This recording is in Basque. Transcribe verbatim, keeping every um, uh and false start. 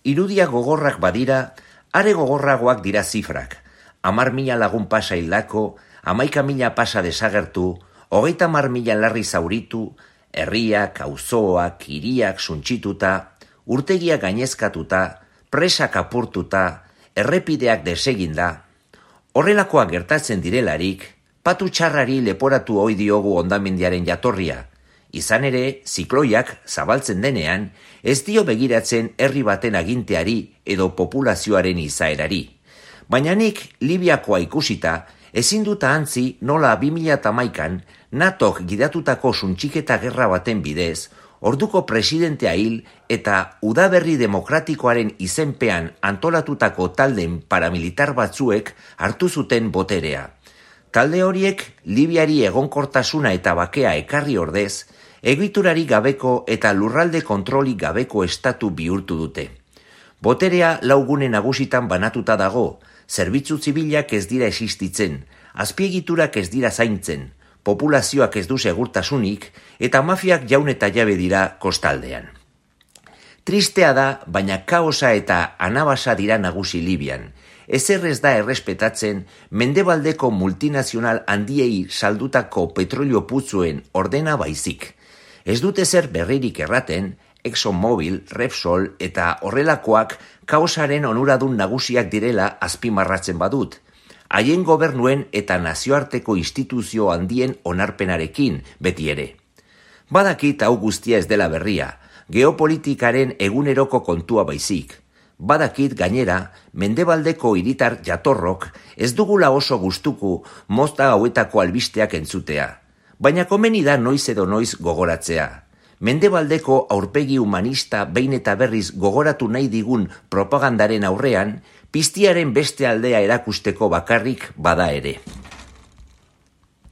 Irudia gogorrak badira, are gogorragoak dira zifrak. Amar mila lagun pasa hildako, hamaika mila pasa desagertu, hogeita mar mila larri zauritu, herriak, auzoak, hiriak suntsituta, urtegiak gainezkatuta, presak apurtuta, errepideak deseginda. Horrelakoak gertatzen direlarik, patu txarrari leporatu ohi diogu hondamendiaren jatorria. Izan ere, zikloiak zabaltzen denean, ez dio begiratzen herri baten aginteari edo populazioaren izaerari. Baina nik Libiakoa ikusita, ezin dut ahantzi nola bi mila hamaikan natok gidatutako suntxiketa gerra baten bidez, orduko presidentea hil eta udaberri demokratikoaren izenpean antolatutako taldeen paramilitar batzuek hartu zuten boterea. Talde horiek Libiari egonkortasuna eta bakea ekarri ordez, egiturari gabeko eta lurralde kontrolik gabeko estatu bihurtu dute. Boterea laugune nagusitan banatuta dago, zerbitzu zibilak ez dira existitzen, azpiegiturak ez dira zaintzen, populazioak ez du segurtasunik eta mafiak jaun eta jabe dira kostaldean. Tristea da, baina kaosa eta anabasa dira nagusi Libian. Ezer ez da errespetatzen mendebaldeko multinazional handiei saldutako petrolio putzuen ordena baizik. Ez dute zer berririk erraten, ExxonMobil, Repsol eta horrelakoak kaosaren onuradun nagusiak direla azpimarratzen badut. Haien gobernuen eta nazioarteko instituzio handien onarpenarekin beti ere. Badakit hau guztia ez dela berria, geopolitikaren eguneroko kontua baizik. Badakit gainera, mendebaldeko hiritar jatorrok ez dugula oso gustuko mozta hauetako albisteak entzutea. Baina komeni da noiz edo noiz gogoratzea. Mendebaldeko aurpegi humanista behin eta berriz gogoratu nahi digun propagandaren aurrean, piztiaren beste aldea erakusteko bakarrik bada ere.